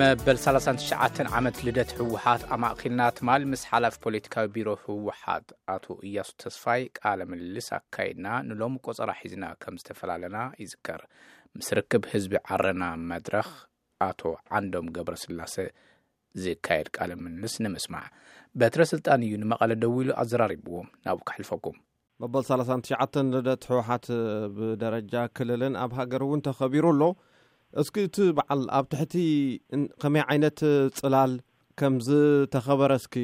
መበል ሰላሳን ትሽዓተን ዓመት ልደት ህወሓት ኣማእኪልና ትማል ምስ ሓላፊ ፖለቲካዊ ቢሮ ህወሓት ኣቶ እያሱ ተስፋይ ቃለ ምልልስ ኣካይድና፣ ንሎሚ ቆጸራ ሒዝና ከም ዝተፈላለና ይዝከር። ምስ ርክብ ህዝቢ ዓረና መድረኽ ኣቶ ዓንዶም ገብረስላሰ ዝካየድ ቃለ ምልልስ ንምስማዕ። በትረ ስልጣን እዩ ንመቐለ ደዊሉ ኣዘራሪብዎም። ናብኡ ከሕልፈኩም። መበል ሰላሳን ትሽዓተን ልደት ህወሓት ብደረጃ ክልልን ኣብ ሃገር እውን ተኸቢሩ ኣሎ። እስኪ እቲ በዓል ኣብ ትሕቲ እን-፣ ከመይ ዓይነት ጽላል ከም ዝተኸበረ እስኪ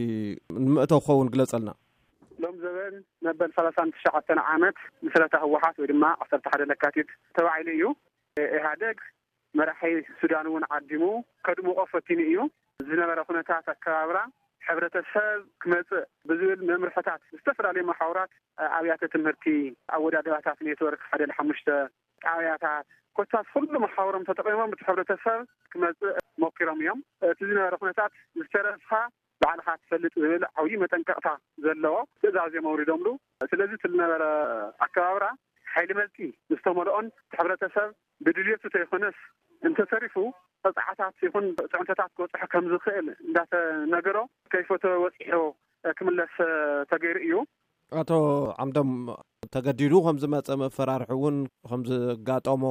ንምእተው ክኸውን ግለጸልና። ሎም ዘበን መበል ሰላሳን ትሽዓተን ዓመት ምስረታ ህወሓት ወይ ድማ ዓሰርተ ሓደ ለካቲት ተባሂሉ እዩ። ኢህኣደግ መራሒ ሱዳን እውን ዓዲሙ ከድምቆ ፈቲኑ እዩ። ዝነበረ ኩነታት ኣከባብራ ሕብረተሰብ ክመጽእ ብዝብል መምርሕታት ዝተፈላለዩ መሓውራት፣ ኣብያተ ትምህርቲ፣ ኣወዳድባታት ኔትወርክ ሓደ ለ ሓሙሽተ ጣብያታት ኮታስ ኩሉ መሓውሮም ተጠቒሞም እቲ ሕብረተሰብ ክመጽእ ሞኪሮም እዮም። እቲ ዝነበረ ኩነታት ዝተረፍካ ባዕልኻ ትፈልጥ ዝብል ዓብዪ መጠንቀቕታ ዘለዎ ትእዛዝ እዮም ኣውሪዶምሉ። ስለዚ እቲ ዝነበረ ኣከባብራ ሓይሊ መልጢ ዝተመልኦን እቲ ሕብረተሰብ ብድልየቱ ተይኮነስ እንተተሪፉ ቅፅዓታት ይኹን ፅዕንቶታት ክበፅሖ ከም ዝኽእል እንዳተነገሮ ከይፈተወ ወፂሑ ክምለስ ተገይሩ እዩ። ኣቶ ዓምዶም ተገዲዱ ከም ዝመፀ መፈራርሒ እውን ከም ዝጋጠሞ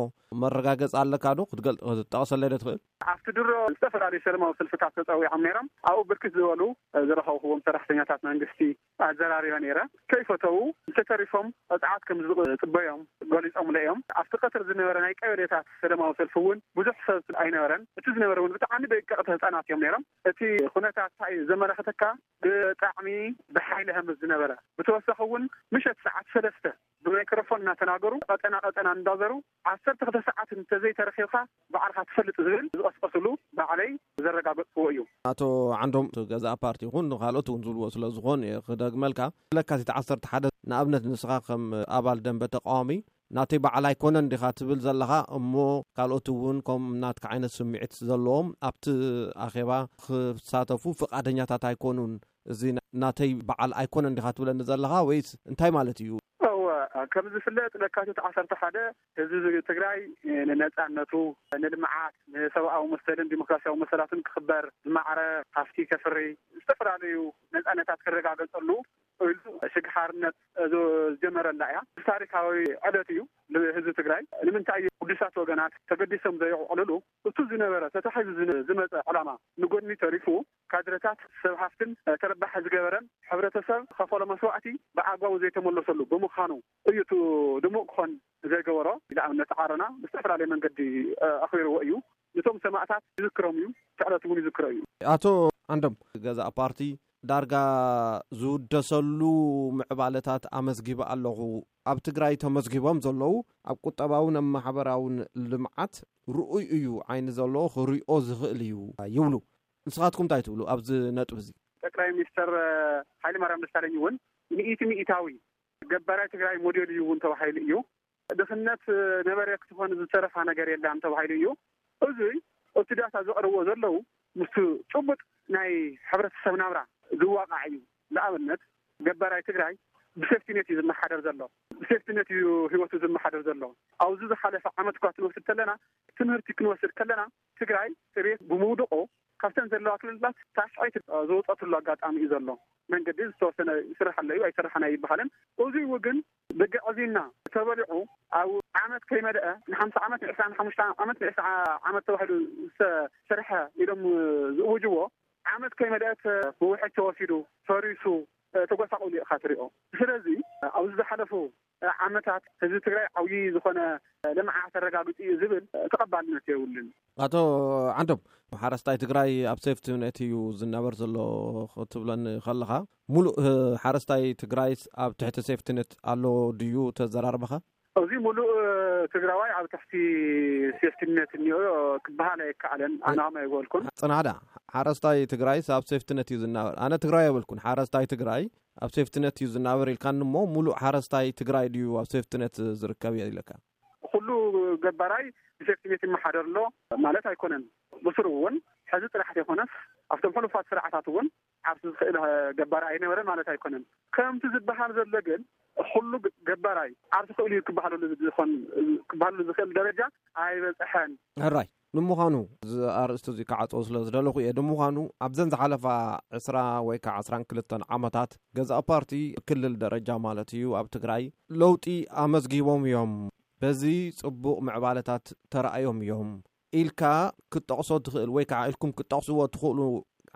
መረጋገፂ ኣለካ ዶ? ክትገል-፣ ክትጠቕሰለይ ዶ ትኽእል? ኣብቲ ድሮ ዝተፈላለዩ ሰላማዊ ሰልፍታት ተፀዊዖም ነይሮም። ኣብኡ ብርክት ዝበሉ ዝረኸብኩዎም ሰራሕተኛታት መንግስቲ ኣዘራሪበ ነይረ። ከይፈተዉ እንተተሪፎም ቅፅዓት ከም ዝፅበዮም ገሊፆምለ እዮም። ኣብቲ ቀትሪ ዝነበረ ናይ ቀበሌታት ሰላማዊ ሰልፊ እውን ብዙሕ ሰብ ኣይነበረን። እቲ ዝነበረ እውን ብጣዕሚ ደቀቕቲ ህፃናት እዮም ነይሮም። እቲ ኩነታት እንታይ እዩ ዘመላኽተካ? ብጣዕሚ ብሓይሊ ሃምስ ዝነበረ። ብተወሳኺ እውን ምሸት ሰዓት ሰለስተ ብማይክሮፎን እናተናገሩ ቀጠና ቀጠና እንዳዘሩ ዓሰርተ ክልተ ሰዓት እንተዘይተረኺብካ ባዕልኻ ትፈልጥ ዝብል ዝቐስቀስሉ ባዕለይ ዘረጋገጽክዎ እዩ። ኣቶ ዓንዶም፣ እቲ ገዛእ ፓርቲ ይኹን ካልኦት እውን ዝብልዎ ስለ ዝኾን እየ ክደግመልካ። ለካቲት ዓሰርተ ሓደ ንኣብነት ንስኻ ከም ኣባል ደንበ ተቃዋሚ ናተይ በዓል ኣይኮነን ዲኻ ትብል ዘለኻ፣ እሞ ካልኦት እውን ከም ናትካ ዓይነት ስምዒት ዘለዎም ኣብቲ ኣኼባ ክሳተፉ ፍቓደኛታት ኣይኮኑን፣ እዚ ናተይ በዓል ኣይኮነን ዲኻ ትብለኒ ዘለኻ ወይስ እንታይ ማለት እዩ? እወ፣ ከም ዝፍለጥ ለካቲት ዓሰርተ ሓደ ህዝቢ ትግራይ ንነጻነቱ፣ ንልምዓት፣ ንሰብኣዊ መሰልን ዲሞክራሲያዊ መሰላትን ክኽበር፣ ዝማዕረ ሃፍቲ ከፍሪ፣ ዝተፈላለዩ ነጻነታት ክረጋገጸሉ ኢሉ ሽግ ሓርነት ዝ-፣ ዝጀመረላ እያ። ታሪካዊ ዕለት እዩ ንህዝቢ ትግራይ። ንምንታይ እዩ ቅዱሳት ወገናት ተገዲሶም ዘየዕልሉ? እቱ ዝነበረ ተታሒዙ ዝነ-፣ ዝመጸ ዕላማ ንጎድኒ ተሪፉ ካድረታት ሰብ ሃፍትን ተረባሒ ዝገበረን ሕብረተሰብ ከፈሎ መስዋዕቲ ብኣግባቡ ዘይተመለሰሉ ብምዃኑ እዩ እቱ ድሙቕ ክኾን ዘይገበሮ። ንኣብነት ዓረና ብዝተፈላለየ መንገዲ ኣኽቢርዎ እዩ። ነቶም ሰማእታት ይዝክሮም እዩ፣ እቲ ዕለት እውን ይዝክሮ እዩ። ኣቶ ዓንዶም፣ ገዛእ ፓርቲ ዳርጋ ዝውደሰሉ ምዕባለታት ኣመዝጊበ ኣለኹ። ኣብ ትግራይ ተመዝጊቦም ዘለዉ ኣብ ቁጠባውን ኣብ ማሕበራውን ልምዓት ርኡይ እዩ፣ ዓይኒ ዘለዎ ክሪኦ ዝኽእል እዩ ይብሉ። ንስኻትኩም እንታይ ትብሉ ኣብዚ ነጥቢ እዚ? ጠቅላይ ሚኒስተር ሃይለማርያም ደሳለኝ እውን ሚእቲ ሚእታዊ ገባራይ ትግራይ ሞዴል እዩ እውን ተባሂሉ እዩ። ድኽነት ነበረ ክትኾን ዝተረፋ ነገር የላን ተባሂሉ እዩ። እዚ እቲ ዳታ ዘቕርብዎ ዘለዉ ምስቲ ጭቡጥ ናይ ሕብረተሰብ ናብራ ዝዋቃዕ እዩ። ንኣብነት ገባራይ ትግራይ ብሴፍቲኔት እዩ ዝመሓደር ዘሎ። ብሴፍቲኔት እዩ ህይወቱ ዝመሓደር ዘሎ። ኣብዚ ዝሓለፈ ዓመት እኳ ክንወስድ ከለና፣ ትምህርቲ ክንወስድ ከለና፣ ትግራይ ጥሬት ብምውድቆ ካብተን ዘለዋ ክልላት ታሽዐይቲ ዝወፀትሉ ኣጋጣሚ እዩ ዘሎ። መንገዲ ዝተወሰነ ይስራሕ ኣሎ እዩ፣ ኣይስራሕን ኣይበሃልን። እዚ እውን ግን ብግዕዝይና ተበሊዑ ኣብ ዓመት ከይመልአ ንሓምሳ ዓመት፣ ንዕስራን ሓሙሽተ ዓመት፣ ንዕስራ ዓመት ተባሂሉ ዝተሰርሐ ኢሎም ዝእውጅዎ ዓመት ከይመልአ ተ-፣ ብውሕጅ ተወሲዱ፣ ፈሪሱ፣ ተጎሳቑሉ ኢኻ ትሪኦ። ስለዚ ኣብዚ ዝሓለፉ ዓመታት ህዝቢ ትግራይ ዓብዪ ዝኾነ ልምዓት ኣረጋግፂ እዩ ዝብል ተቐባልነት የብሉን። ኣቶ ዓንዶም፣ ሓረስታይ ትግራይ ኣብ ሴፍቲ ኔት እዩ ዝናበር ዘሎ ክትብለኒ ከለኻ፣ ሙሉእ ሓረስታይ ትግራይስ ኣብ ትሕቲ ሴፍቲ ኔት ኣሎ ድዩ ተዘራርበኻ? እዚ ሙሉእ ትግራዋይ ኣብ ትሕቲ ሴፍቲ ኔት እኒኦ ክበሃል ኣይከኣለን። ኣነ ከም ኣይበልኩን። ጽናዳ፣ ሓረስታይ ትግራይስ ኣብ ሴፍቲ ኔት እዩ ዝናበር። ኣነ ትግራይ ኣይበልኩን፣ ሓረስታይ ትግራይ ኣብ ሴፍቲ ኔት እዩ ዝናበር ኢልካኒ እሞ፣ ሙሉእ ሓረስታይ ትግራይ ድዩ ኣብ ሴፍቲ ኔት ዝርከብ ኢለካ? ኩሉ ገባራይ ብሴፍቲ ኔት ይመሓደር ኣሎ ማለት ኣይኮነን። ብስሩ እውን ሕዚ ጥራሕ ዘይኮነስ ኣብቶም ሕሉፋት ስርዓታት እውን ዓርሱ ዝኽእል ገባራይ ኣይነበረን ማለት ኣይኮነን። ከምቲ ዝበሃል ዘሎ ግን ኩሉ ገባራይ ዓርሱ ክእል እዩ ክበሃለሉ ዝኾን፣ ክበሃለሉ ዝኽእል ደረጃ ኣይበፅሐን። ሕራይ። ንምዃኑ፣ እዚ ኣርእስቲ እዚ ክዓጽዎ ስለ ዝደለኹ እየ። ንምዃኑ፣ ኣብዘን ዝሓለፋ ዕስራ ወይ ከዓ ዕስራን ክልተን ዓመታት፣ ገዛእ ፓርቲ ክልል ደረጃ ማለት እዩ፣ ኣብ ትግራይ ለውጢ ኣመዝጊቦም እዮም፣ በዚ ጽቡቕ ምዕባለታት ተራእዮም እዮም ኢልካ ክትጠቕሶ ትኽእል ወይ ከዓ ኢልኩም ክትጠቕስዎ ትኽእሉ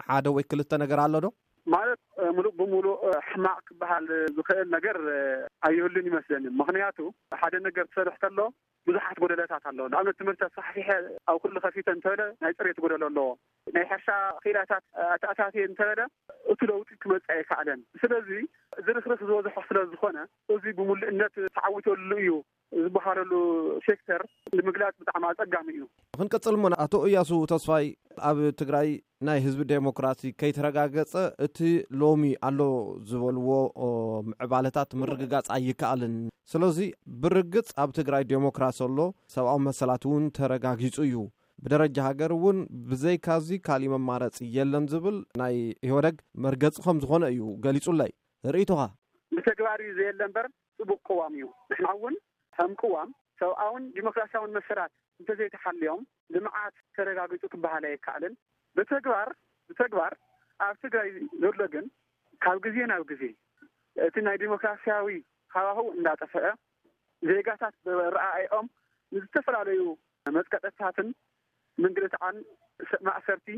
ሓደ ወይ ክልተ ነገር ኣሎ ዶ? ማለት፣ እ፣ ምሉእ ብምሉእ፣ እ፣ ሕማቕ ክበሃል ዝኽእል ነገር፣ እ፣ ኣይህሉን ይመስለኒ። ምኽንያቱ፣ ሓደ ነገር ትሰርሕ ተሎ ብዙሓት ጎደለታት ኣለዎ። ንኣብነት፣ ትምህርቲ ኣስፋሕፊሐ ኣብ ኩሉ ከፊተ እንተበለ ናይ ፅሬት ጎደሎ ኣለዎ። ናይ ሕርሻ ክኢላታት ኣተኣታትየ እንተበለ እቲ ለውጢ ክመፅእ ኣይከኣለን። ስለዚ ዝርክርክ ዝበዝሖ ስለ ዝኾነ እዚ ብምሉእነት ተዓዊተሉ እዩ ዝበሃለሉ ሴክተር ንምግላፅ ብጣዕሚ ኣፀጋሚ እዩ። ክንቀፅል እሞ ኣቶ እያሱ ተስፋይ፣ ኣብ ትግራይ ናይ ህዝቢ ዴሞክራሲ ከይተረጋገጸ እቲ ሎሚ ኣሎ ዝበልዎ፣ ኦ፣ ምዕባለታት ምርግጋጽ ኣይከኣልን። ስለዚ ብርግጽ ኣብ ትግራይ ዴሞክራሲ ኣሎ፣ ሰብኣዊ መሰላት እውን ተረጋጊጹ እዩ። ብደረጃ ሃገር እውን ብዘይካዚ ካሊእ መማረጺ የለን ዝብል ናይ ኢህወደግ መርገጺ ከም ዝኾነ እዩ ገሊጹለይ። ርእይቶኻ? ብተግባር እዩ ዘየለ እምበር ጽቡቕ ቅዋም እዩ። ንሕና እውን ከም ቅዋም ሰብኣውን ዲሞክራሲያውን መሰላት እንተዘይተሓልዮም ልምዓት ተረጋጊጹ ክበሃል ኣይከኣልን። ብተግባር፣ ብተግባር ኣብ ትግራይ ዘሎ ግን ካብ ግዜ ናብ ግዜ እቲ ናይ ዲሞክራሲያዊ ሃዋህው እንዳጠፍአ፣ ዜጋታት ብኣረኣእያኦም ንዝተፈላለዩ መጥቀጥታትን ምንግልታዕን፣ ማእሰርቲ፣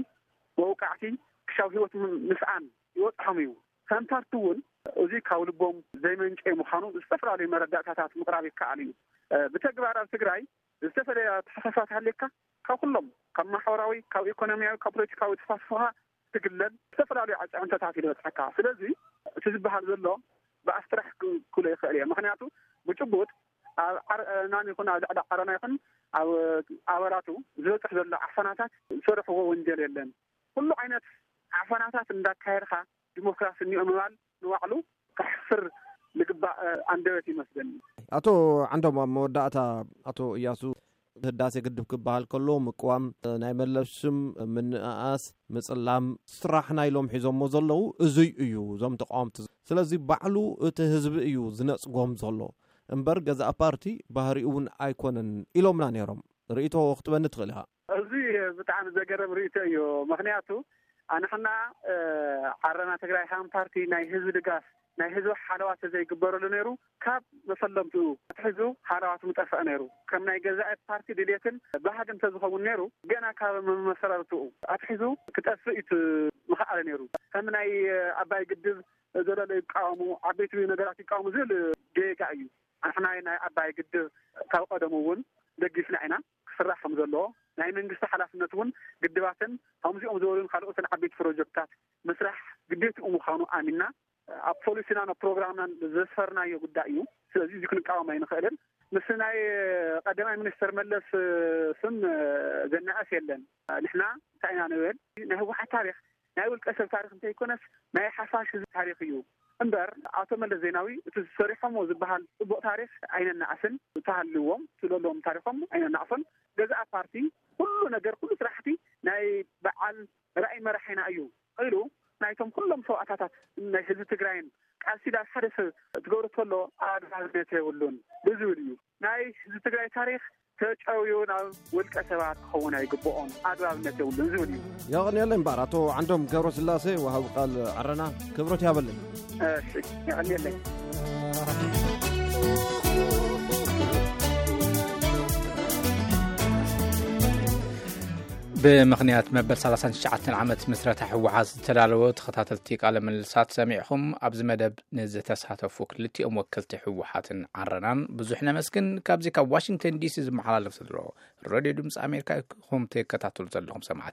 መውቃዕቲ፣ ክሻብ ህይወት ም-፣ ምስኣን ይበጽሖም እዩ። ከም ፓርቲ እውን እዚ ካብ ልቦም ዘይመንጨ ምዃኑ ዝተፈላለዩ መረዳእታታት ምቕራብ ይከኣል እዩ። እ፣ ብተግባር ኣብ ትግራይ ዝተፈላለየ ኣተሓሳስባ ተሃልየካ ካብ ኩሎም፣ ካብ ማሕበራዊ፣ ካብ ኢኮኖሚያዊ፣ ካብ ፖለቲካዊ ተሳትፎኻ ትግለል ዝተፈላለዩ ኣጻዕምቶታት ይበጽሓካ። ስለዚ እቲ ዝበሃል ዘሎ ብኣፍ ጥራሕ ክ-፣ ክብሎ ይኽእል እየ። ምኽንያቱ ብጭቡጥ ኣብ ዓረና ይኹን ኣብ ልዕሊ ዓረና ይኹን ኣብ ኣባላቱ ዝበጽሕ ዘሎ ዓፈናታት ዝሰርሕዎ ወንጀል የለን። ኩሉ ዓይነት ዓፈናታት እንዳካየድካ ዲሞክራሲ እኒኦ ምባል ንባዕሉ ከሕፍር ዝግባእ፣ እ፣ ኣንደበት ይመስለኒ። ኣቶ ዓንዶም፣ ኣብ መወዳእታ፣ ኣቶ እያሱ፣ ህዳሴ ግድብ ክበሃል ከሎ ምቅዋም፣ እ፣ ናይ መለስ ሽም ምንእኣስ፣ ምጽላም፣ ስራሕ ናይ ሎም ሒዞሞ ዘለዉ እዙይ እዩ፣ እዞም ተቃወምቲ። ስለዚ ባዕሉ እቲ ህዝቢ እዩ ዝነጽጎም ዘሎ እምበር ገዛእ ፓርቲ ባህሪኡ እውን ኣይኮነን ኢሎምና ነይሮም። ርእይቶ ክትበኒ ትኽእል ኢኻ። እዚ ብጣዕሚ ዘገርም ርእይቶ እዩ። ምኽንያቱ ኣንሕና፣ እ፣ ዓረና ትግራይ ሃም ፓርቲ ናይ ህዝቢ ድጋፍ፣ ናይ ህዝቢ ሓለዋ ተዘይግበረሉ ነይሩ፣ ካብ መፈለምትኡ ኣትሒዙ ሃለዋቱ ምጠፍአ ነይሩ። ከም ናይ ገዛኢ ፓርቲ ድሌትን ባህግን ተዝኸውን ነይሩ፣ ገና ካብ መመሰረርትኡ ኣትሒዙ ክጠፍእ እዩ ምኽኣለ ነይሩ። ከም ናይ ኣባይ ግድብ ዘለለ ይቃወሙ፣ ዓበይቲ ነገራት ይቃወሙ ዝብል ጌጋ እዩ። ኣንሕና ናይ ኣባይ ግድብ ካብ ቀደሙ እውን ደጊፍና ኢና። ክስራሕ ከም ዘለዎ፣ ናይ መንግስቲ ሓላፍነት እውን ግድባትን ከምዚኦም ዝበሉን ካልኦትን ዓበይቲ ፕሮጀክትታት ምስራሕ ግዴትኡ ምዃኑ ኣሚንና ኣብ ፖሊሲናን ኣብ ፕሮግራምናን ዘስፈርናዮ ጉዳይ እዩ። ስለዚ እዚ ክንቃወም ኣይንኽእልን። ምስ ናይ ቀዳማይ ሚኒስትር መለስ ስም ዘናእስ የለን። ንሕና እንታይ ኢና ንብል? ናይ ህወሓት ታሪኽ ናይ ውልቀ ሰብ ታሪኽ እንተይኮነስ ናይ ሓፋሽ ህዝቢ ታሪኽ እዩ። እምበር ኣቶ መለስ ዜናዊ እቲ ዝሰሪሖሞ ዝበሃል ጽቡቕ ታሪኽ ኣይነናእስን። እተሃልዎም ትለሎም ታሪኾም ኣይነናእሶን። ገዛእ ፓርቲ ኩሉ ነገር፣ ኩሉ ስራሕቲ ናይ በዓል ራእይ መራሒና እዩ ኢሉ ናይቶም ኩሎም ሰዋእታታት ናይ ህዝቢ ትግራይን ቃልሲ ዳስ ሓደ ሰብ ትገብሮ ከሎ ኣግባብነት የብሉን ብዝብል እዩ። ናይ ህዝቢ ትግራይ ታሪኽ ተጨውዩ ናብ ውልቀ ሰባት ክኸውን ኣይግብኦን፣ ኣግባብነት የብሉን ዝብል እዩ። የቐንየለይ እምበኣር ኣቶ ዓንዶም ገብረስላሴ፣ ወሃቢ ቃል ዓረና፣ ክብረት ያበለይ። እሺ፣ የቐንየለይ። ብምኽንያት መበል ሰላሳን ትሽዓተን ዓመት ምስረታ ህወሓት ዝተዳለወ ተኸታተልቲ ቃለ ምልልሳት ሰሚዕኹም። ኣብዚ መደብ ንዝተሳተፉ ክልቲኦም ወከልቲ ህወሓትን ዓረናን ብዙሕ ነመስግን። ካብዚ ካብ ዋሽንግተን ዲሲ ዝመሓላለፍ ዘሎ ሬድዮ ድምፂ ኣሜሪካ ኢኹም ትከታተሉ ዘለኹም ሰማዕቲ።